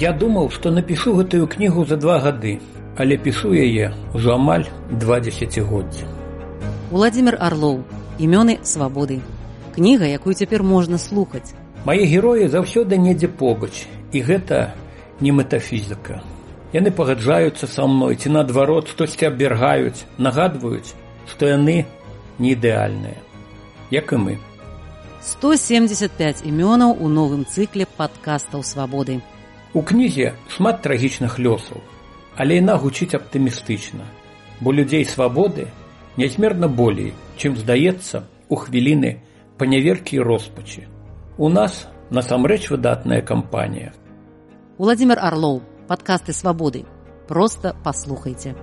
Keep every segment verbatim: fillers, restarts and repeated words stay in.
Я думаў, што напішу гэтую кнігу за два гады, але пішу яе ўжо амаль два дзесяцігоддзя. Уладзімір Арлоў. Імёны свабоды. Кніга, якую цяпер можна слухаць. Мае героі заўсёды недзе побач, і гэта не метафізіка. Яны пагаджаюцца са мной, ці наадварот штосьці абвяргаюць, нагадваюць, што яны не ідэальныя, як і мы. сто семьдесят пять імёнаў у новым цыкле падкастаў свабоды. У кнізе шмат трагічных лёсаў, але яна гучыць аптымістычна, бо людзей свабоды нязмерна болей, чым здаецца у хвіліны паняверкі і роспачы. У нас насамрэч выдатная кампанія. Уладзімір Арлоў. Падкасты свабоды. Проста паслухайце.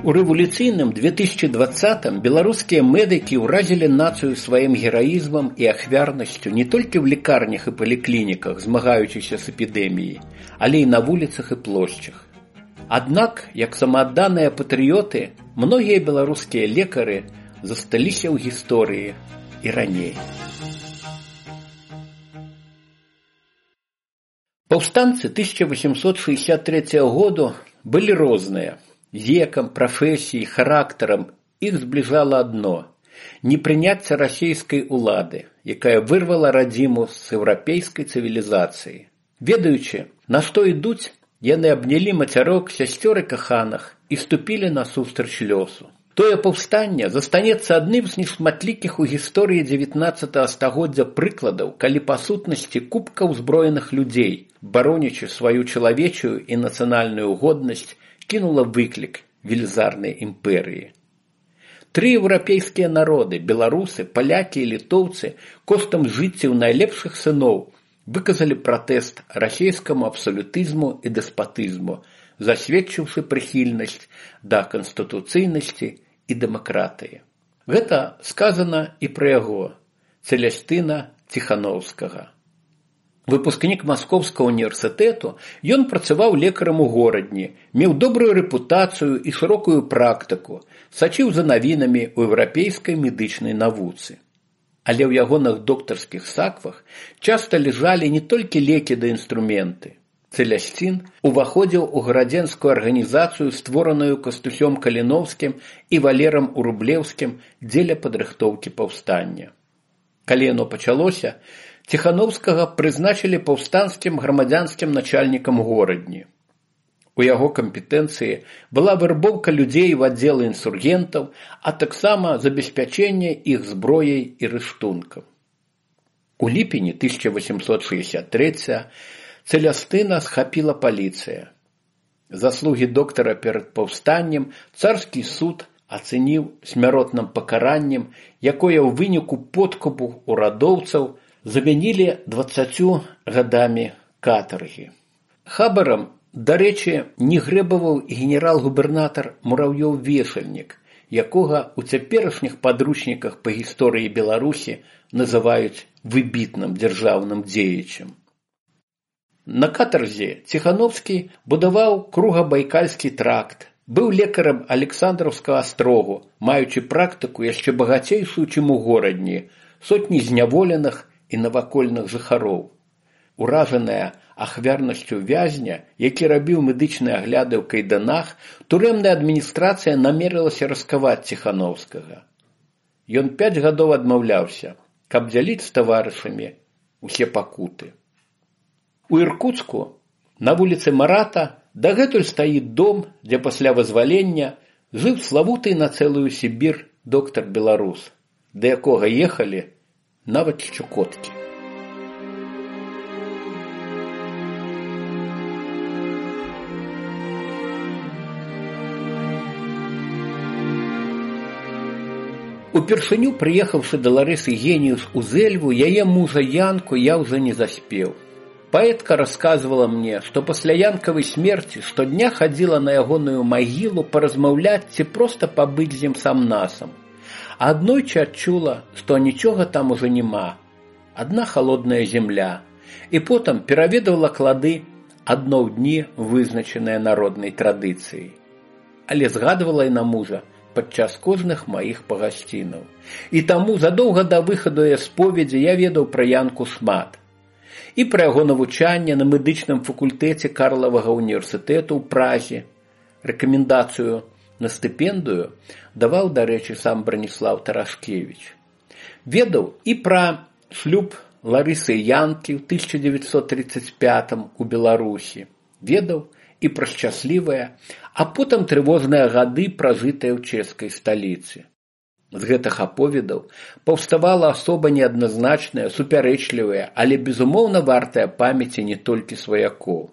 У рэвалюцыйным две тысячи двадцатым беларускія медыкі ўразілі нацыю сваім гераізмам і ахвярнасцю не толькі ў лекарнях і паліклініках, змагаючыся з эпідэміяй, але і на вуліцах і плошчах. Аднак, як самаадданыя патрыёты, многія беларускія лекары засталіся ў гісторыі і раней. Паўстанцы тысяча восемьсот шестьдесят третьего году былі розныя. Векам, прафесіяй, характарам іх збліжала адно – непрыняцце расійскай улады, якая вырвала радзіму з еўрапейскай цывілізацыі. Ведаючы, на што ідуць, яны абнялі мацярок, сясцёр і каханах і ступілі насустрач лёсу. Тое паўстанне застанецца адным з нешматлікіх у гісторыі дзевятнаццатага стагоддзя прыкладаў, калі па сутнасці купка ўзброеных людзей, баронячы сваю чалавечую і нацыянальную годнасць, кінула выклік велізарнай імперыі. Тры еўрапейскія народы, беларусы, палякі і літоўцы, коштам жыццяў найлепшых сыноў выказалі пратэст расійскаму абсалютызму і дэспатызму, засведчыўшы прыхільнасць да канстытуцыйнасці і дэмакратыі. Гэта сказана і пра яго, Цэлястына Ціханаўскага. Выпускнік Маскоўскага універсітэту, ён працаваў лекарам у горадні, меў добрую рэпутацыю і шырокую практыку, сачыў за навінамі ў еўрапейскай медычнай навуцы. Але ў ягоных доктарскіх саквах часта ляжалі не толькі лекі да інструменты. Цэлясцін уваходзіў у гарадзенскую арганізацыю, створаную Кастусём Каліноўскім і Валерам Урублеўскім дзеля падрыхтоўкі паўстання. Калі яно пачалося, Ціханаўскага прызначылі паўстанцкім грамадзянскім начальнікам горадні. У яго кампетэнцыі была вярбоўка людзей в аддзелы інсургентаў, а таксама забеспячэнне іх зброяй і рыштункам. У ліпені тысяча восемьсот шестьдесят третьего Цэлястына схапіла паліцыя. Заслугі доктара перад паўстаннем царскі суд ацэніў смяротным пакараннем, якое ў выніку подкупу урадоўцаў замянілі дваццаццю гадамі катаргі. Хабарам, дарэчы, не грэбаваў і генерал-губернатар Мурав'ёў-Вешальнік, якога ў цяперашніх падручніках па гісторыі Беларусі называюць выбітным дзяржаўным дзеячам. На катарзе Ціханаўскі будаваў кругабайкальскі тракт, быў лекарам Александраўскага астрогу, маючы практыку яшчэ багацейшую, чым у горадні, сотні зняволеных і навакольных жыхароў. Уражаная ахвярнасцю вязня, які рабіў медычныя агляды ў кайданах, турэмная адміністрацыя намерылася раскаваць Ціханаўскага. Ён пяць гадоў адмаўляўся, каб дзяліць з таварышамі усе пакуты. У Іркуцку, на вуліцы Марата, дагэтуль стаіць дом, дзе пасля вызвалення жыў славуты на цэлую Сібір доктар-беларус, да якога ехалі нават з Чукоткі. Упершыню, прыехаўшы да Ларысы Геніус у Зэльву, яе мужа Янку я ўжо не заспеў. Паэтка расказвала мне, што пасля Янкавай смерці штодня хадзіла на ягоную магілу паразмаўляць ці проста пабыць з ім сам-насам. А аднойчы адчула, што нічога там ужо няма, адна халодная земля, і потым пераведала клады адно ў дні, вызначаныя народнай традыцыяй. Але згадвала і на мужа падчас кожных маіх пагасцінаў. І таму задоўга да выхаду яе споведзі я ведаў пра Янку шмат. І пра яго навучанне на медычным факультэце Карлавага універсітэту ў Празе. Рэкамендацыю на стыпендыю даваў, дарэчы, сам Браніслаў Тарашкевіч. Ведаў і пра шлюб Ларысы і Янкі ў тысяча дзевяцьсот трыццаць пятым у Беларусі. Ведаў і пра шчаслівыя, а потым трывожныя гады, пражытыя ў чэшскай сталіцы. З гэтых аповедаў паўставала асоба неадназначная, супярэчлівая, але безумоўна вартая памяці не толькі сваякоў.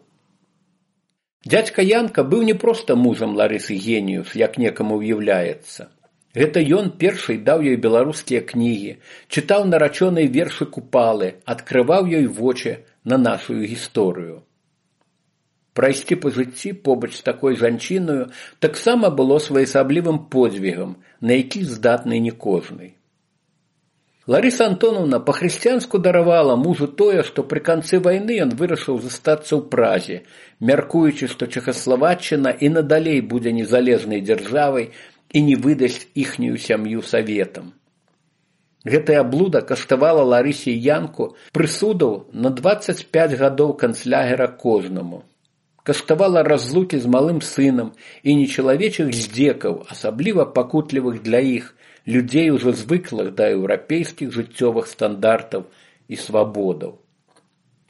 Дзядзька Янка быў не проста мужам Ларысы Геніус, як некаму ўяўляецца. Гэта ён першы даў ёй беларускія кнігі, чытаў нарачоныя вершы Купалы, адкрываў ёй вочы на нашу гісторыю. Прайсці па жыцці побач з такой жанчынаю таксама было своеасаблівым подзвігам, на які здатны не кожны. Ларыса Антоновна па-хрысціянску даравала мужу тое, што пры канцы вайны ён вырашыў застацца ў Празе, мяркуючы, што Чэхаславаччына і надалей будзе незалежнай дзяржавай і не выдасць іхнюю сям'ю саветам. Гэтая блуда каштавала Ларысе і Янку прысудаў на дваццаць пяць гадоў канцлягера кожнаму. Каштавала разлукі з малым сынам і нечалавечых здзекаў, асабліва пакутлівых для іх, людзей ужо звыклых да еўрапейскіх жыццёвых стандартаў і свабодаў.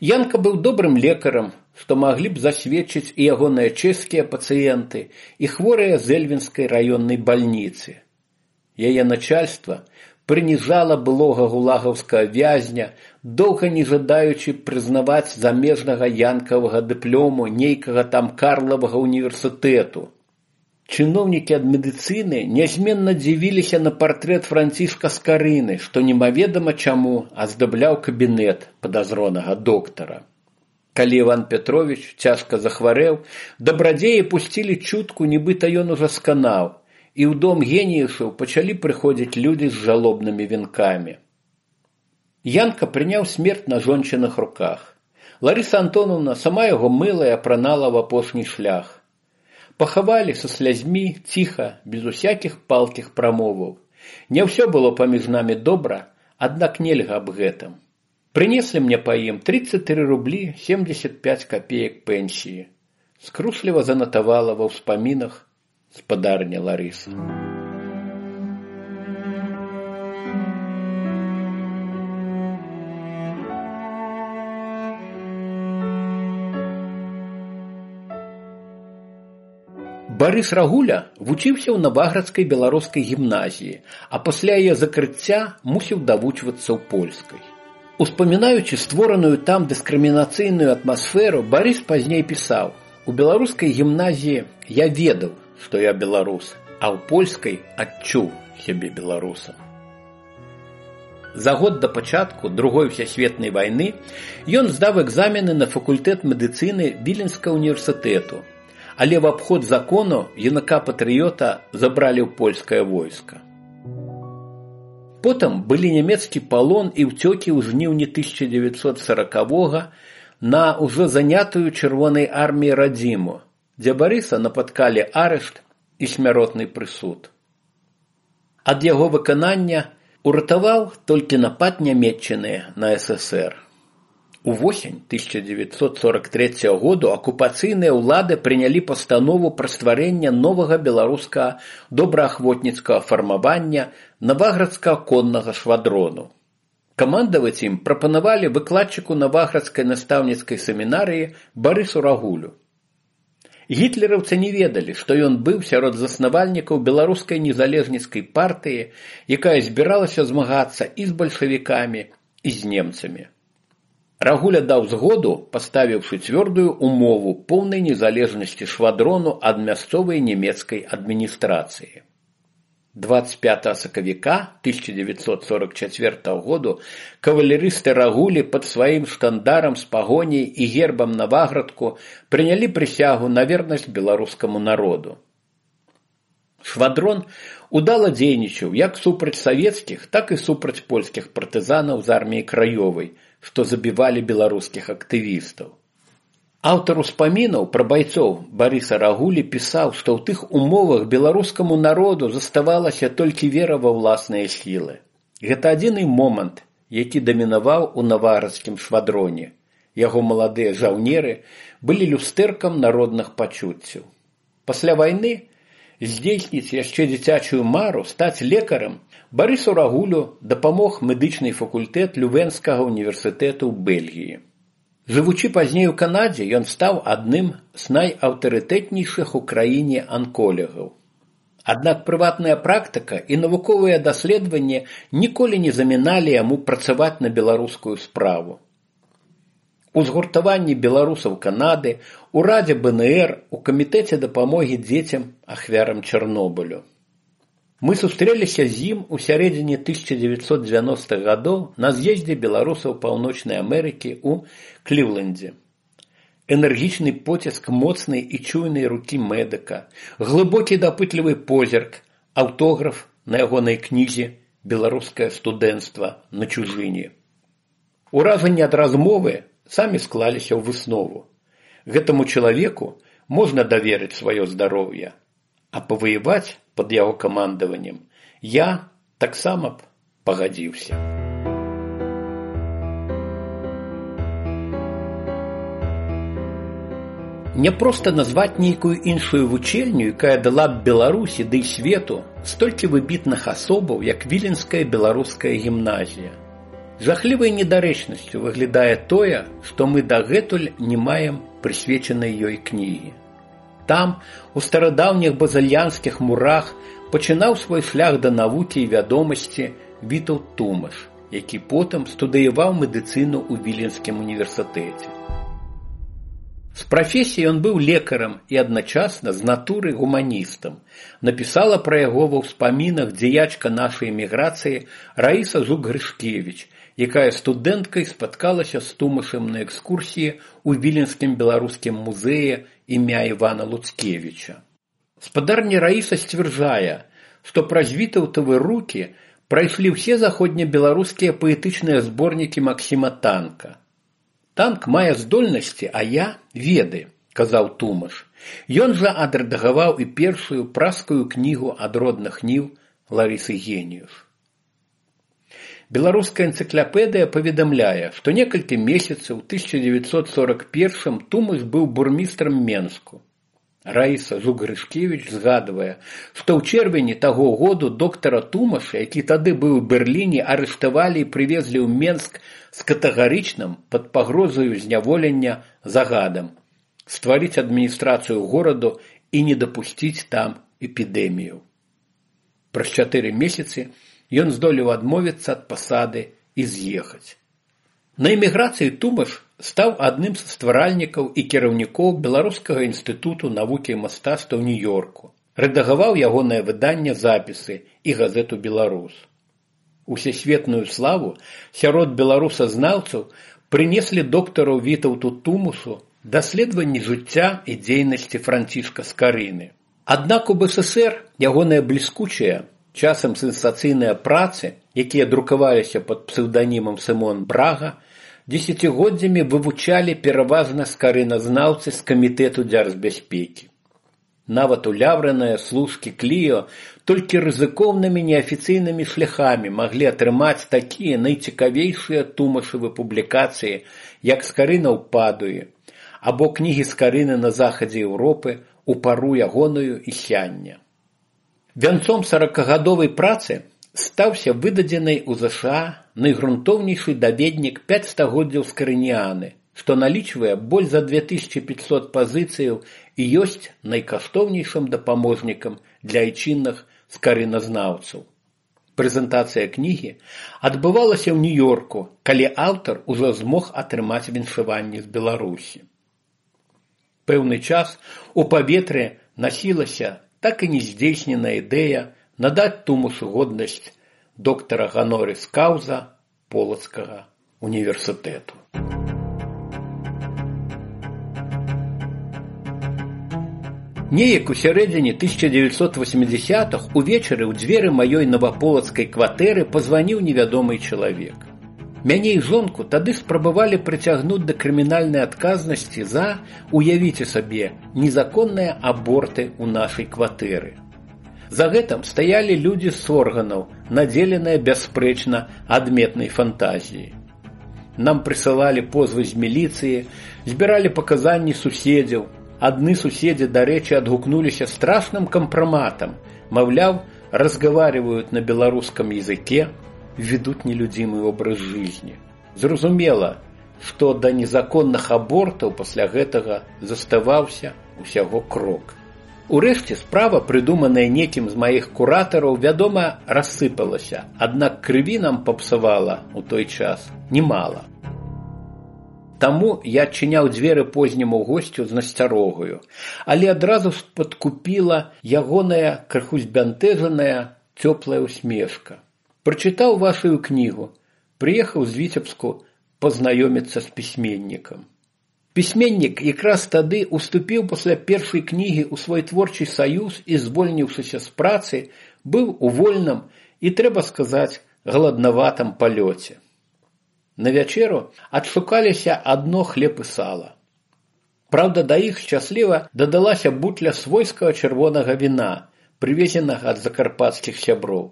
Янка быў добрым лекарам, што маглі б засведчыць і ягоныя чэшскія пацыенты, і хворыя з Эльвінскай раённай бальніцы. Яе начальства прыніжала былога гулагаўскага вязня, доўга не жадаючы прызнаваць замежнага янкавага дыплому нейкага там Карлавага універсітэту. Чыноўнікі ад медыцыны нязменна дзівіліся на партрэт Франціска Скарыны, што немаведама чаму аздабляў кабінет падазронага доктара. Калі Іван Петрович цяжка захварэў, дабрадзеі пусцілі чутку, нібыта ён ужо сканаў, і ў дом геніусаў пачалі прыходзіць людзі з жалобнымі венкамі. Янка прыняў смерць на жончыных руках. Ларыса Антоновна сама яго мыла і апранала в апошні шлях. Пахавалі са слязьмі, ціха, без усякіх палкіх прамоваў. Не ўсё было паміж намі добра, аднак нельга аб гэтым. Прынеслі мне па ім тридцать три рублі семьдесят пять копеек пенсіі. Скрушліва занатавала ва ўспамінах спадарня Ларыса. Барыс Рагуля вучыўся ў Наваградскай беларускай гімназіі, а пасля яе закрыцця мусіў давучвацца ў польскай. Успамінаючы створаную там дыскрымінацыйную атмасферу, Барыс пазней пісаў: «У беларускай гімназіі я ведаў, што я беларус, а ў польскай адчуў сябе беларусам». За год да пачатку Другой всесветнай вайны ён здаў экзамены на факультэт медыцыны Віленскага універсітэту, але в абход закону юнака-патрыёта забралі ў польскае войска. Потым былі нямецкі палон і ўцёкі ў жніўні тысяча дзевяцьсот сорокавога на ўжо занятую чырвонай арміяй радзіму, дзе Барыса напаткалі арышт і смяротны прысуд. Ад яго выканання уратаваў толькі напад нямецчыны на эс эс ер. Увосень тысяча дзевяцьсот сорок трэцяга году акупацыйныя ўлады прынялі пастанову пра стварэнне новага беларускага добраахвотніцкага фармавання Наваградскага коннага швадрону. Камандаваць ім прапанавалі выкладчыку Наваградскай настаўніцкай семінарыі Барысу Рагулю. Гітлераўцы не ведалі, што ён быў сярод заснавальнікаў беларускай незалежніцкай партыі, якая збіралася змагацца і з бальшавікамі, і з немцамі. Рагуля даў згоду, паставіўшы цвёрдую умову поўнай незалежнасці швадрону ад мясцовай нямецкай адміністрацыі. двадцать пятага сакавіка тысяча дзевяцьсот сорок чацвёртага году кавалерысты Рагулі пад сваім штандарам з пагоняй і гербам Наваградку прынялі прысягу на вернасць беларускаму народу. Швадрон удала дзейнічаў як супраць савецкіх, так і супраць польскіх партызанаў з арміяй краёвай, што забівалі беларускіх актывістаў. Аўтар успамінаў пра байцоў Барыса Рагулі пісаў, што ў тых умовах беларускаму народу заставалася толькі вера ва ўласныя сілы. Гэта адзіны момант, які дамінаваў у наварскім швадроне. Яго маладыя жаўнеры былі люстэркам народных пачуццяў. Пасля вайны здзейсніць яшчэ дзіцячую мару, стаць лекарам, Барысу Рагулю дапамог медычны факультэт Лювенскага універсітэту ў Бельгіі. Жывучы пазней у Канадзе, ён стаў адным з найаўтарытэтнейшых у краіне анколагаў. Аднак прыватная практыка і навуковыя даследаванні ніколі не заміналі яму працаваць на беларускую справу. У згуртаванні беларусаў Канады, у Радзе бэ эн эр, у камітэце дапамогі дзецям ахвярам Чарнобылю. Мы сустрэліся з ім у сярэдзіне тысяча дзевяцьсот дзевяностых гадоў на з'ездзе беларусаў Паўночнай Амерыкі ў Кліўлендзе. Энергічны поціск моцнай і чуйнай рукі медыка, глыбокі дапытлівы позірк, аўтограф на ягонай кнізе «Беларускае студэнцтва на чужыне». Уражанні ад размовы самі склаліся ў выснову. Гэтаму чалавеку можна даверыць сваё здароўе, а паваяваць пад яго камандаваннем я таксама б пагадзіўся. Не проста назваць нейкую іншую вучэльню, якая дала б Беларусі ды свету столькі выбітных асобаў, як Віленская беларуская гімназія. Жахлівай недарэчнасцю выглядае тое, што мы дагэтуль не маем прысвечанай ёй кнігі. Там, у старадаўніх базальянскіх мурах, пачынаў свой шлях да навукі і вядомасці Вітаўт Тумаш, які потым студыяваў медыцыну ў Віленскім універсітэце. З прафесіі ён быў лекарам і адначасна з натуры гуманістам. Напісала пра яго ва ўспамінах дзеячка нашай эміграцыі Раіса Жук-Грышкевіч, якая студэнткай спаткалася з Тумашам на экскурсіі ў Віленскім беларускім музеі імя Івана Луцкевіча. Спадарня Раіса сцвярджае, што праз Вітаўтавы рукі прайшлі ўсе заходнебеларускія паэтычныя зборнікі Максіма Танка. Танк мае здольнасці, а я веды, казаў Тумаш. Ён жа адрэдагаваў і першую праскую кнігу ад родных ніў Ларысы Геніюш. Беларуская энцыклапедыя паведамляе, што некалькі месяцаў у тысяча дзевяцьсот сорок першым Тумаш быў бурмістрам Менску. Раіса Жук-Грышкевіч згадвае, што ў чэрвені таго году доктара Тумаша, які тады быў у Берліне, арыштавалі і прывезлі ў Менск з катэгарычным пад пагрозаю зняволення загадам стварыць адміністрацыю гораду і не дапусціць там эпідэмію. Праз чатыры месяцы ён здолеў адмовіцца ад пасады і з'ехаць. На эміграцыі Тумаш стаў адным са стваральнікаў і кіраўнікоў Беларускага інстытуту навукі і мастацтва ў Нью-Йорку. Рэдагаваў ягонае выданне «Запісы» і газету «Беларус». Усесветную славу сярод беларусазнаўцаў прынеслі доктару Вітаўту Тумашу даследаванні жыцця і дзейнасці Францішка Скарыны. Аднак у бэ эс эсэр ягоныя бліскучыя, часам сенсацыйныя працы, якія друкаваліся пад псеўданімам Сымон Брага, дзесяцігоддзямі вывучалі пераважна скарыназнаўцы з камітэту дзяржбяспекі. Нават улявраныя служкі Кліо толькі рызыкоўнымі неафіцыйнымі шляхамі маглі атрымаць такія найцікавейшыя Тумашавы публікацыі, як «Скарына ў Падуі» або кнігі Скарыны на захадзе Еўропы у пару ягоную і сяння. Вянцом саракагадовай працы стаўся выдадзенай у ЗША найгрунтоўнейшы даведнік пяць стагоддзяў скарыніяны, што налічвае больш за две тысячы пятьсот пазіцыяў і ёсць найкаштоўнейшым дапаможнікам для айчынных скарыназнаўцаў. Прэзентацыя кнігі адбывалася ў Нью-Йорку, калі аўтар ужо змог атрымаць віншаванне з Беларусі. Пэўны час у паветры насілася так і нездзейсненая ідэя надаць Тумашу годнасць доктара ганорис каўза Полацкага універсітэту. Неяк у сярэдзіне тысяча дзевяцьсот восьмідзясятых увечары ў дзверы маёй наваполацкай кватэры пазваніў невядомы чалавек. Мяне і жонку тады спрабавалі прыцягнуць да крымінальнай адказнасці за, уявіце сабе, незаконныя аборты ў нашай кватэры. За гэтым стаялі людзі з органаў, надзеленыя бясспрэчна адметнай фантазіяй. Нам прысылалі позвы з міліцыі, збіралі паказанні суседзяў. Адны суседзі, дарэчы, адгукнуліся страшным кампраматам, маўляў, разговаривают на белорусском языке, ведут нелюдимый образ жизни. Зразумела, што да незаконных абортаў пасля гэтага заставаўся усяго крок. Урэшце справа, прыдуманая некім з маіх куратараў, вядома, рассыпалася, аднак крыві нам папсавала ў той час немало. Таму я адчыняў дзверы позняму госцю з насцярогаю, але адразу падкупіла ягоная крыху збянтэжаная цёплая усмешка. Прачытаў вашую кнігу, прыехаў з Віцебску пазнаёміцца з пісьменнікам. Пісьменнік якраз тады уступіў пасля першай кнігі ў свой творчы саюз і, звольніўшыся з працы, быў у вольным і, трэба сказаць, галаднаватым палёце. На вячэру адшукаліся адно хлеб і сала. Праўда, да іх шчасліва дадалася бутля свойскага чырвонага віна, прывезенага ад закарпатскіх сяброў.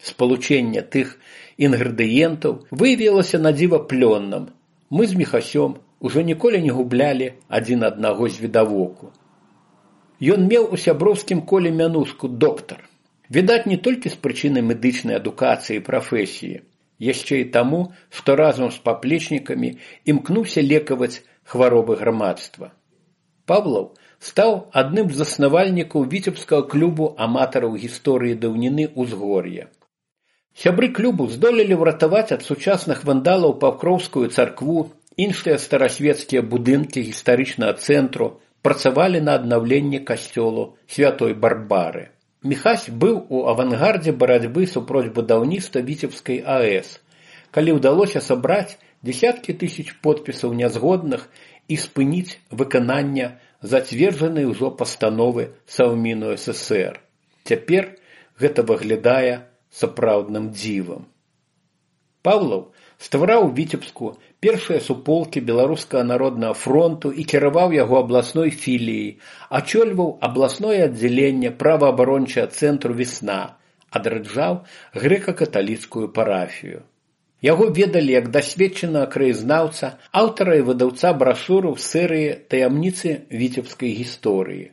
Спалучэнне тых інгрэдыентаў выявілася надзіва плённым. Мы з Міхасём ужо ніколі не гублялі адзін аднаго з відавоку. Ён меў у сяброўскім коле мянушку доктар. Відаць, не толькі з прычыны медычнай адукацыі і прафесіі, яшчэ і таму, што разам з паплечнікамі імкнуўся лекаваць хваробы грамадства. Павлаў стаў адным з заснавальнікаў віцебскага клубу аматараў гісторыі даўніны ўзгор'я. Сябры клубу здолелі ўратаваць ад сучасных вандалаў Пакроўскую царкву, іншыя старасвецкія будынкі гістарычнага цэнтру, працавалі на аднаўленні касцёлу Святой Барбары. Міхась быў у авангардзе барацьбы супроць будаўніцтва Віцебскай АЭС, калі ўдалося сабраць дзесяткі тысяч подпісаў нязгодных і спыніць выканання зацверджанай ужо пастановы Саўміну СССР. Цяпер гэта выглядае сапраўдным дзівам. Павлаў ствараў у Віцебску першыя суполкі Беларускага народнага фронту і кіраваў яго абласной філіяй, ачольваў абласное аддзяленне праваабарончага цэнтру «Весна», адраджаў грэка-каталіцкую парафію. Яго ведалі як дасведчанага краязнаўца, аўтара і выдаўца брашураў з серыі «Таямніцы віцебскай гісторыі».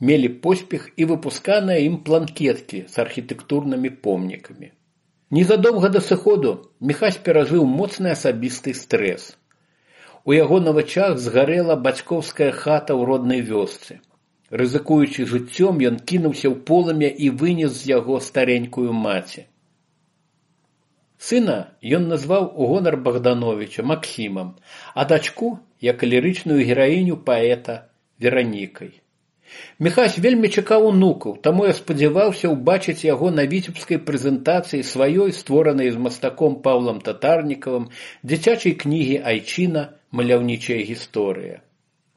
Мелі поспех і выпусканыя ім планкеткі з архітэктурнымі помнікамі. Незадоўга да сыходу Міхась перажыў моцны асабісты стрэс. У яго на вачах згарэла бацькоўская хата ў роднай вёсцы. Рызыкуючы жыццём, ён кінуўся ў полымя і вынес з яго старенькую маці. Сына ён назваў у гонар Богдановича Максімам, а дачку як лірычную гераіню паэта Веранікай. Міхась вельмі чакаў унукаў, таму я спадзяваўся ўбачыць яго на віцебскай прэзентацыі сваёй, створанай з мастаком Паўлам Татарнікавым, дзіцячай кнігі «Айчына. Маляўнічая гісторыя».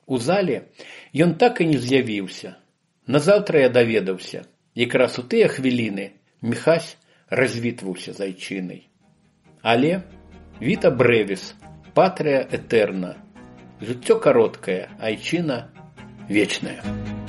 У зале ён так і не з'явіўся. Назаўтра я даведаўся. Якраз у тыя хвіліны Міхась развітваўся з Айчынай. Але віта брэвіс, патрыя этерна. Жыццё кароткае, Айчына вечная.